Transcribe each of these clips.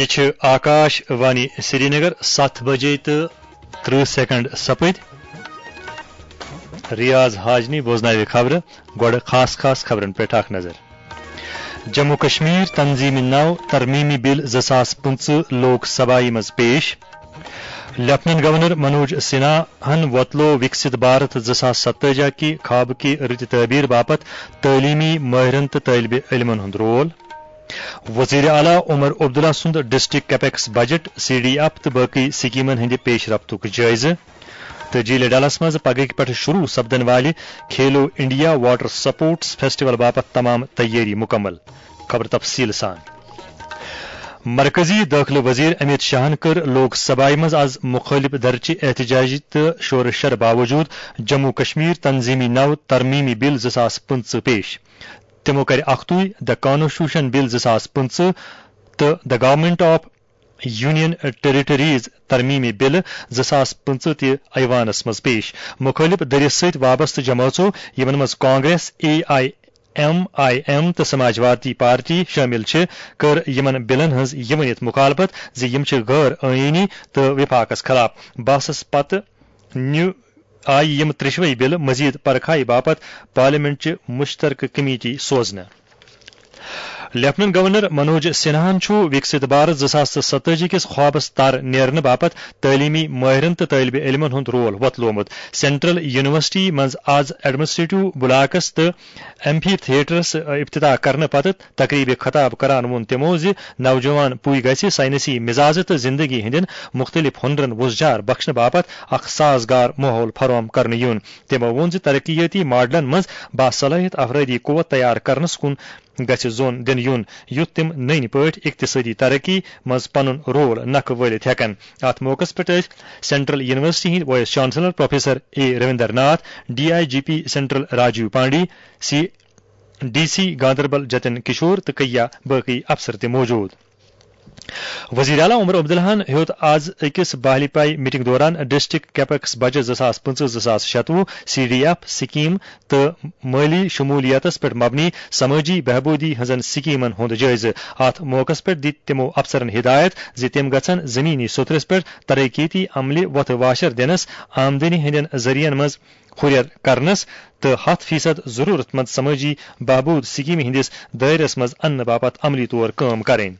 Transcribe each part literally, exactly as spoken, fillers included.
یہِ چھِ آکاش وانی سرینگر، ستھ بجے تہٕ ترٕہ سیکنڈ سپٕدۍ۔ ریاض حاجنی بوزناوِ خبرٕ۔ گۄڈٕ خاص خاص خبرن پٮ۪ٹھ اکھ نظر۔ جموں کشمیر تنظیٖمہِ نو ترمیمی بل زٕ ساس پٕنٛژٕہ لوک سبھایہِ منٛز پیش۔ لیفٹیننٹ گورنر منوج سنہاہن وۄتلوو وکست بھارت زٕ ساس ستٲجی کہِ خوابہٕ کہِ رٕتہِ تعبیر باپتھ تعلیمی مٲہرن تہٕ طٲلبِ علمن ہُنٛد رول۔ وزیر اعلیٰ عمر عبداللہ سُنٛد district capex budget, C D F تہٕ باقی سکیمن ہٕنٛدِ پیش رفتُک جٲیزٕ۔ تہٕ جھیلِ ڈلس منٛز پگہٕکہِ پٮ۪ٹھٕ شروع سپدن والہِ کھیلو انڈیا واٹر سپورٹس فیسٹیول باپتھ تمام تیٲری مکمل۔ خبر تفصیل سان۔ مرکزی دٲخلہٕ وزیر امیت شاہن کٔر لوک سبھایہ منٛز از مخٲلف دھرچہِ احتجاجی تہٕ شورٕ شر باوجود جموں کشمیر تنظیمی نو ترمیمی بل زٕ ساس پٕنٛژٕہ پیش۔ تِمو کَرِ اکھتُے The Constitution Bill زٕ ساس پٕنٛژٕہ تہٕ The Government of Union Territories ترمیمی بلہٕ زٕ ساس پٕنٛژٕہ تہِ ایوانس منٛز پیش۔ مُخٲلِف دٔرِس سۭتۍ وابستہٕ جمٲژو، یِمن منٛز Congress, A I am I am تہٕ سماجوادی پارٹی شٲمِل چھِ، کٔر یِمن بلن ہٕنٛز یہِ ؤنِتھ مُخالفت زِ یِم چھِ غٲر آئینی تہٕ وفاقس خلاف۔ بحثس پتہٕ نیوٗ آیہِ یِم ترٛیٚشوَے بلہٕ مزید پرکھایہِ باپتھ پارلیمنٹ چہِ مشترکہٕ کمیٹی سوزنہٕ۔ لیفٹیننٹ گورنر منوج سنہاہن چھُ وکست بھارت زٕ ساس تہٕ ستٲجی کِس خوابس تر نیرنہٕ باپتھ تعلیمی ماہرن تہٕ طٲلبِ علمن ہُنٛد رول وۄتلومُت۔ سینٹرل یونیورسٹی منٛز آز ایڈمنسٹریٹو بلاکس تہٕ ایمفی تھیٹرس افتتاح کرنہٕ پتہٕ تقریبہِ خطاب کران ووٚن تِمو زِ نوجوان پُے گژھِ سائنسی مزاجہِ تہٕ زندگی ہٕنٛدٮ۪ن مُختٔلِف ہُنرن وُژھ جار بخشنہٕ باپتھ اکھ سازگار ماحول فراہم کرنہٕ یُن۔ تِمو ووٚن زِ ترقیٲتی ماڈلن منٛز باصلاحیت افرٲدی قوت تیار کرنس کُن گژھِ زون دِنہٕ یُن، یُتھ تِم نٔنۍ پٲٹھۍ اقتصٲدی ترقی منٛز پنُن رول نکھٕ وٲلِتھ ہٮ۪کن۔ اتھ موقعس پٮ۪ٹھ ٲسۍ سینٹرل یونیورسٹی ہٕنٛدۍ vice chancellor professor A Ravinder Nath, D I G P central Rajiv Pandey, C D C Ganderbal Jatin Kishore تہٕ کیا باقی افسر تہِ موجود۔ وزیر اعلیٰ عمر عبداللہ ہن ہیوٚت آز أکِس باہلی پائی میٹنگ دوران ڈسٹرکٹ کیپیکس بجٹ زٕ ساس پٕنٛژٕہ زٕ ساس شتوُہ، سی ڈی ایف سکیم تہٕ مٲلی شمولیتس پٮ۪ٹھ مبنی سمٲجی بہبودی ہٕنٛزن سکیمن ہُنٛد جٲیزٕ۔ اتھ موقعس پٮ۪ٹھ دِتۍ تِمو افسرن ہدایت زِ تِم گژھن زمینی سطحس پٮ۪ٹھ ترقیتی عملہِ وۄتھٕ واشر دِنس، آمدنی ہٕنٛدٮ۪ن ذٔریعن منٛز ہُرٮ۪ر کرنس تہٕ ہتھ فیصد ضرورت مند سمٲجی بہبود سکیمہِ ہٕنٛدِس دٲیرس منٛز اننہٕ باپتھ عملی طور کٲم کرٕنۍ۔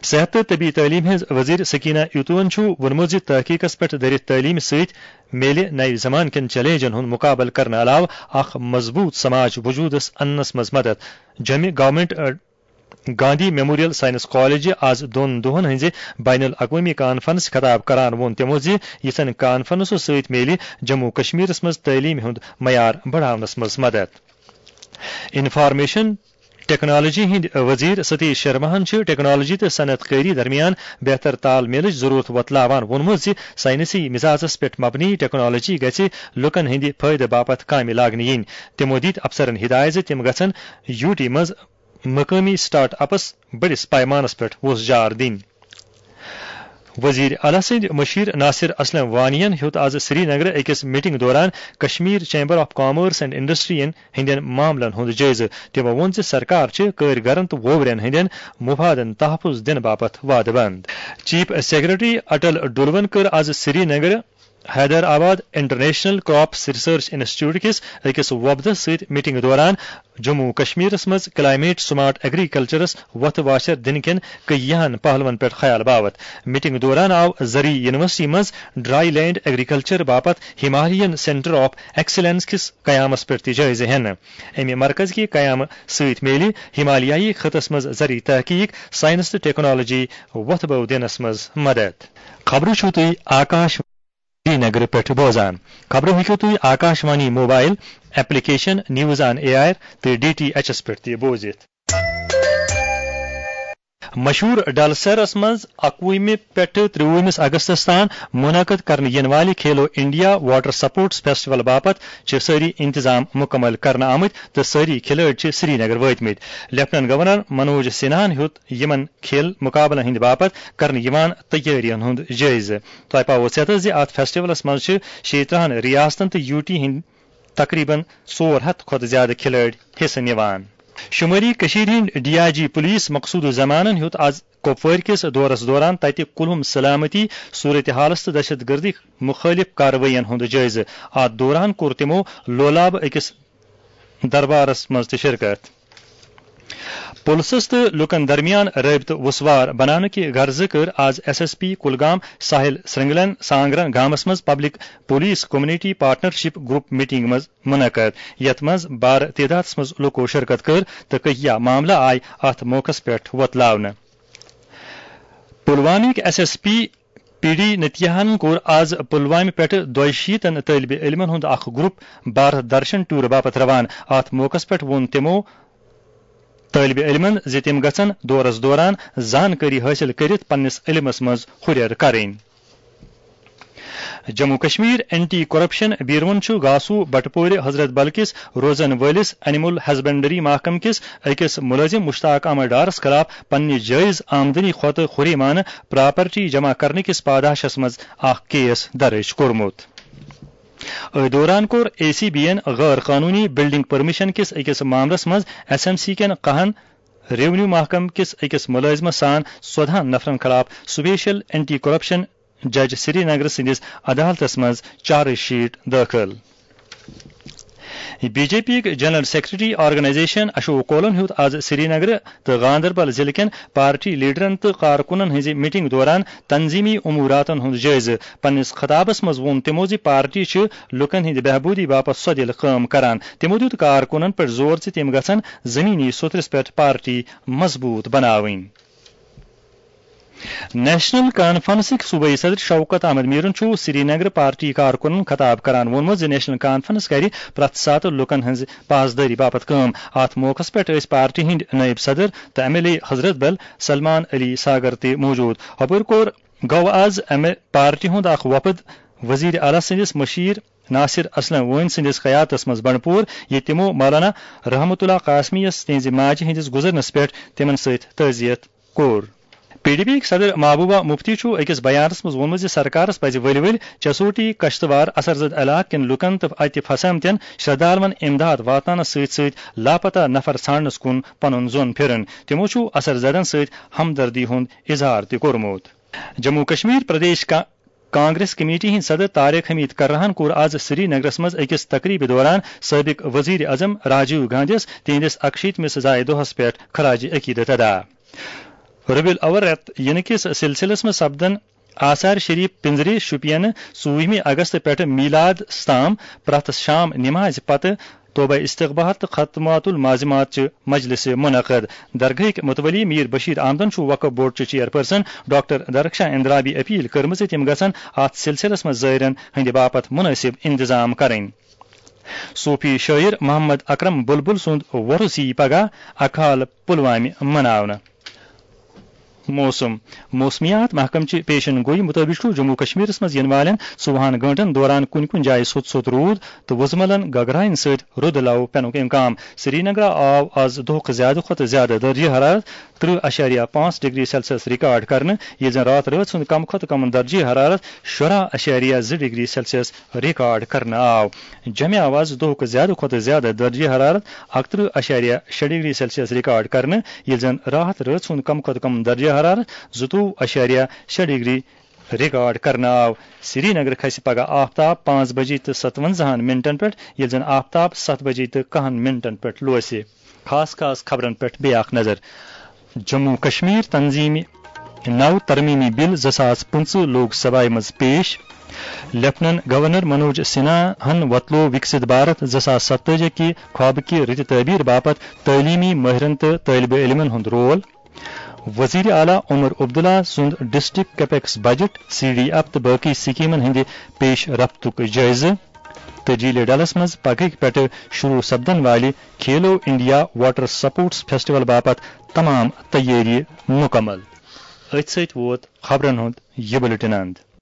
صحت تہٕ طبی تعلیٖم ہٕنٛز وزیر سکینہ ایوتوَن چھُ ووٚنمُت زِ تحقیقس پٮ۪ٹھ دٔرِتھ تعلیٖمہِ سۭتۍ میلہِ نَوِ زمانہٕ کٮ۪ن چیلنجن ہُنٛد مُقابلہٕ کرنہٕ علاوٕ اکھ مضبوٗط سماج وجوٗدس اننس منٛز مدد۔ جوٚمہِ گورنمنٹ، اَ، گاندھی میموریل سائنس کالجہِ آز دۄن دۄہن ہٕنٛزِ بین الاقوٲمی کانفرنس خطاب کران ووٚن تِمو زِ یِژھن کانفرنسو سۭتۍ میلہِ جموں کشمیرس منٛز تعلیٖم ہُنٛد معیار بڑاونس منٛز مدد۔ انفارمیشن ٹیکنالوجی ہٕنٛدۍ وزیر ستیش شرماہن چھِ ٹیکنالوجی تہٕ صنعت کٲری درمیان بہتر تال میلٕچ ضرورت وۄتلاوان ووٚنمُت زِ سائنسی مزاجس پٮ۪ٹھ مبنی ٹیکنالوجی گژھِ لوٗکن ہٕنٛدِ فٲیدٕ باپتھ کامہِ لاگنہٕ یِنۍ۔ تِمو دِتۍ افسرن ہدایت زِ تِم گژھن یوٗ ٹی منٛز مقٲمی سٹارٹ اپس بٔڑِس پیمانس پٮ۪ٹھ وُژھ جار دِنۍ۔ وزیر اعلیٰ سٕنٛدۍ مشیر ناصر اسلم وانیَن ہیوٚت آز سری نگرٕ أکِس میٹنگ دوران Kashmir chamber of commerce and انڈسٹرین ہٕنٛدٮ۪ن معاملن ہُنٛد جٲیزٕ۔ تِمو ووٚن زِ سرکار چھِ کٲرۍ گرن تہٕ ووورٮ۪ن ہٕنٛدٮ۪ن مفادن تحفظ دِنہٕ باپتھ وعدٕ بنٛد۔ چیف سیکرٹری اٹل ڈولون کٔر آز سری نگرٕ Hyderabad international crops research institute کِس أکِس وۄپدس سۭتۍ میٹنگ دوران جموں و کشمیرس منٛز کلائمیٹ سمارٹ ایگریکلچرس وۄتھٕ واشر دِنہٕ کٮ۪ن کیٚنٛہن پہلوَن پٮ۪ٹھ خیال باوتھ۔ میٹنگ دوران آو زرعی یونیورسٹی منٛز ڈرائی لینڈ ایگریکلچر باپتھ ہمالیئن سینٹر آف ایکسیلنس کِس قیامس پٮ۪ٹھ تہِ جٲیزٕ ہٮ۪نہٕ۔ اَمہِ مرکز کہِ قیامہٕ سۭتۍ میلہِ ہمالیائی خطس منٛز زرعی تحقیق، سائنس تہٕ ٹیکنالوجی وۄتھٕ بو دِنس منٛز مدد۔ خبرٕ چھِو تُہۍ آکاش سری نگرٕ پٮ۪ٹھ بوزان۔ خبرٕ ہیٚکِو تُہۍ Akashvani mobile application, news on A R تہٕ ڈی ٹی ایچ ایس پٮ۪ٹھ تہِ بوٗزِتھ۔ مشہوٗر ڈل سیرس منٛز اَکوُہمہِ پٮ۪ٹھٕ ترٛوُہمِس اگستس تام منعقد کرنہٕ یِنہٕ والہِ کھیلو انڈیا واٹر سپورٹس فیسٹیول باپتھ چھِ سٲری انتظام مُکمل کرنہٕ آمٕتۍ تہٕ سٲری کھلٲڑۍ چھِ سری نگر وٲتمٕتۍ۔ لیفٹیننٹ گورنر منوج سنہاہن ہیوٚت یِمن کھیل مقابلن ہٕنٛدِ باپتھ کرنہٕ یِوان تیٲرین ہُنٛد جٲیزٕ۔ تۄہہِ پاوو ژیتس زِ اتھ فیسٹیولس منٛز چھِ شیٚیہِ ترٕٛہن ریاستن تہٕ یوٗ ٹی ہٕنٛدۍ تقریباً ژور ہتھ کھۄتہٕ زیادٕ کھلٲڑۍ حصہٕ نِوان۔ شمٲلی کٔشیٖرِ ہٕنٛدۍ ڈی آئی جی پُلیٖس مقصوٗد الزمانن ہیوٚت از کۄپوٲرۍ کِس دورس دوران تتہِ کُلہُم سلامتی صورتحالس تہٕ دہشت گردی مُخٲلِف کاروٲیین ہُنٛد جٲیزٕ۔ اتھ دوران کوٚر تِمو لولابہٕ أکِس دربارس منٛز تہِ شرکت۔ پُلسس تہٕ لوٗکن درمیان رٲبطہٕ وُسوار بناونہٕ کہِ غرضہٕ کٔر از S S P Kulgam Sahil سرنگلن سانگرن گامس منٛز public police community partnership group meeting منٛز منعقد، یتھ منٛز بارٕ تعدادس منٛز لوٗکو شرکت کٔر تہٕ کیٚنٛہہ معاملہٕ آیہِ اتھ موقعس پٮ۪ٹھ وۄتلاونہٕ۔ پلوامٕکۍ S S P P D نتیاہن کوٚر از پلوامہِ پٮ۪ٹھٕ دۄیہِ شیٖتن طٲلبہِ علمن ہُنٛد اکھ گروپ بھارت درشن ٹور باپتھ روانہٕ۔ اتھ موقعس پٮ۪ٹھ ووٚن تِمو طٲلبہِ علمن زِ تِم گژھن دورس دوران زانکٲری حٲصِل کٔرِتھ پننِس علمس منٛز ہُرٮ۪ر کرٕنۍ۔ جموں کشمیر اینٹی کرپشن بیورون چھُ گاسو بٹپورِ حضرت بل کِس روزن وٲلِس اینیمل ہسبنڈری محکمہٕ کِس أکِس مُلٲزِم مشتاق احمد ڈارس خلاف پننہِ جٲیز آمدنی کھۄتہٕ ہُریمانہٕ پراپرٹی جمع کرنہٕ کِس پاداشس منٛز اکھ کیس درٕج کوٚرمُت۔ أتھۍ دوران کوٚر اے سی بی یَن غٲر قانوٗنی بلڈنگ پرمشن کِس أکِس معاملس منٛز ایس ایم سی کٮ۪ن کاہن ریونیو محکمہٕ کِس أکِس مُلٲزمَس سان ژۄدہَن نفرَن خلاف سپیشل اینٹی کرپشن جج سری نگر سٕنٛدِس عدالتَس منٛز چارج شیٹ دٲخل۔ بی جے پی یٕکۍ جنرل سیکرٹری آرگنائزیشن اشوک کولن ہیوٚت آز سری نگر تہٕ گاندربل ضلعہٕ کٮ۪ن پارٹی لیڈرن تہٕ کارکنن ہٕنٛزِ میٹنگ دوران تنظیمی اموراتن ہُنٛد جٲیزٕ۔ پننِس خطابس منٛز ووٚن تِمو زِ پارٹی چھِ لوٗکن ہٕنٛدِ بہبوٗدی باپتھ سۄدِل کٲم کران۔ تِمو دیُت کارکنن پٮ۪ٹھ زور زِ تِم گژھن زمینی سوٚترس پٮ۪ٹھ پارٹی مضبوٗط بناوٕنۍ۔ نیشنل کانفرنسٕکۍ صوبٲئی صدر شوکت احمد میرن چھُ سری نگر پارٹی کارکنن خطاب کران ووٚنمُت زِ نیشنل کانفرنس کرِ پرٛٮ۪تھ ساتہٕ لوٗکن ہٕنٛز پاسدٲری باپتھ کٲم۔ اتھ موقعس پٮ۪ٹھ ٲسۍ پارٹی ہٕنٛدۍ نٲیِب صدر تہٕ ایم ایل اے حضرت بل سلمان علی ساگر تہِ موجود۔ ہُپٲرۍ کوٚر گوٚو از امہِ پارٹی ہُنٛد اکھ وفد وزیر اعلیٰ سٕنٛدِس مشیر ناصر اسلم وٲنۍ سٕنٛدِس قیادتس منٛز بنڈپور، ییٚتہِ تِمو مولانا رحمت اللہ قاسمی یس تِہنٛزِ ماجہِ ہٕنٛدِس گُزرنس پٮ۪ٹھ تِمن سۭتۍ تعزیت کوٚر۔ پی ڈی پی یٕکۍ صدر محبوبہ مفتی چھُ أکِس بیانس منٛز ووٚنمُت زِ سرکارس پزِ ؤلۍ ؤلۍ چسوٹی کشتوار اثر زد علاقہٕ کٮ۪ن لوٗکن تہٕ اتہِ پھسیمتٮ۪ن شرٛدھالون امداد واتناونس سۭتۍ سۭتۍ لاپتہ نفر ژھانڈنس کُن پنُن ظۄن پھِرُن۔ تِمو چھُ اثر زدن سۭتۍ ہمدردی ہُنٛد اظہار تہِ کوٚرمُت۔ جموں کشمیر پردیش کا-، کانگریس کمیٹی ہٕنٛدۍ صدر طارق حمید کرراہن کوٚر از سری نگرس منٛز أکِس تقریبہِ دوران سٲبق وزیر اعظم راجیو گاندھیَس تِہنٛدِس اکشیتمِس زایہِ دۄہس پٮ۪ٹھ خراج عقیدت ادا۔ ربیع الاول رٮ۪تھ یِنہٕ کِس سلسلس منٛز سپدن آثار شریف پنجرِ شوپینہٕ ژوٗرِمہِ اگست پٮ۪ٹھٕ میلادس تام پرٛٮ۪تھ شام نمازِ پتہٕ توبہ استغفار تہٕ ختمات المعظمات چہِ مجلسہِ منعقد۔ درگاہٕکۍ متولی میر بشیر احمدن چھُ وقف بورڈ چہِ چیئرپرسن ڈاکٹر درخشاں اندرابی اپیل کٔرمٕژ زِ تِم گژھن اتھ سلسلس منٛز زائرن ہٕنٛدِ باپتھ مناسب انتظام کرٕنۍ۔ صوفی شٲعر محمد اکرم بلبل سُنٛد وۄرُس یِیہِ پگاہ اکہٕ حال پلوامہِ مناونہٕ۔ موسم۔ موسمیات محکمہٕ چہِ پیشن گوئی مُطٲبِق چھُ جموں کشمیرس منٛز یِنہٕ والٮ۪ن ژوٚوُہن گٲنٛٹن دوران کُنہِ کُنہِ جایہِ سوٚت سوٚت روٗد تہٕ وُزملن گگراین سۭتۍ رُدٕ لَو پٮ۪نُک امکان۔ سرینگرٕ آو از دۄہُک زیادٕ کھۄتہٕ زیادٕ درجہ حرارت ترٕہ اَشاریہ پانٛژھ ڈگری سیلسیس ریکارڈ کرنہٕ، ییٚلہِ زن راتھ رٲژ ہُنٛد کم کھۄتہٕ کم درجہ حرارت شُراہ اَشاریہ زٕ ڈگری سیلسیس ریکارڈ کرنہٕ آو۔ جمع آو از دۄہُک زیادٕ کھۄتہٕ زیادٕ درجہ حرارت اکترٕہ اَشاریہ شےٚ ڈگری سیلسیس ریکارڈ کرنہٕ، ییٚلہِ زن راتھ رٲژ ہُنٛد کم کھۄتہٕ کم درجہ حرارت زٕتووُہ اَشاریہ شےٚ ڈگری ریکارڈ کرنہٕ آو۔ سری نگر کھسہِ پگہہ آفتاب پانٛژھ بجے تہٕ ستونزاہن منٹن پٮ۪ٹھ، ییٚلہِ زن آفتاب ستھ بجے تہٕ کاہن منٹن پٮ۪ٹھ لوسہِ۔ خاص خاص خبرن پٮ۪ٹھ بیٚیہِ اکھ نظر۔ جموں کشمیر تنظیمہِ نو ترمیمی بل زٕ ساس پٕنٛژٕہ لوک سبھایہ منٛز پیش۔ لیفٹیننٹ گورنر منوج سنہا ہن وۄتلوو وکست بھارت زٕ ساس ستٲجی کہِ خوابہٕ کہِ رٕتہِ تعبیر باپتھ تعلیمی مٲہرن تہٕ طٲلبہِ علمن ہُنٛد رول۔ وزیر اعلیٰ عمر عبداللہ سُنٛد district capex budget, C D F تہٕ باقی سکیمن ہٕنٛدِ پیش رفتُک جٲیزٕ۔ تہٕ جیٖلہِ ڈلس منٛز پگہٕکۍ پٮ۪ٹھٕ شروع سپدن والہِ کھیلو انڈیا واٹر سپورٹس فیسٹیول باپتھ تمام تیٲری مکمل۔ أتھۍ سۭتۍ ووت خبرن ہُنٛد یہِ بلیٹن اند۔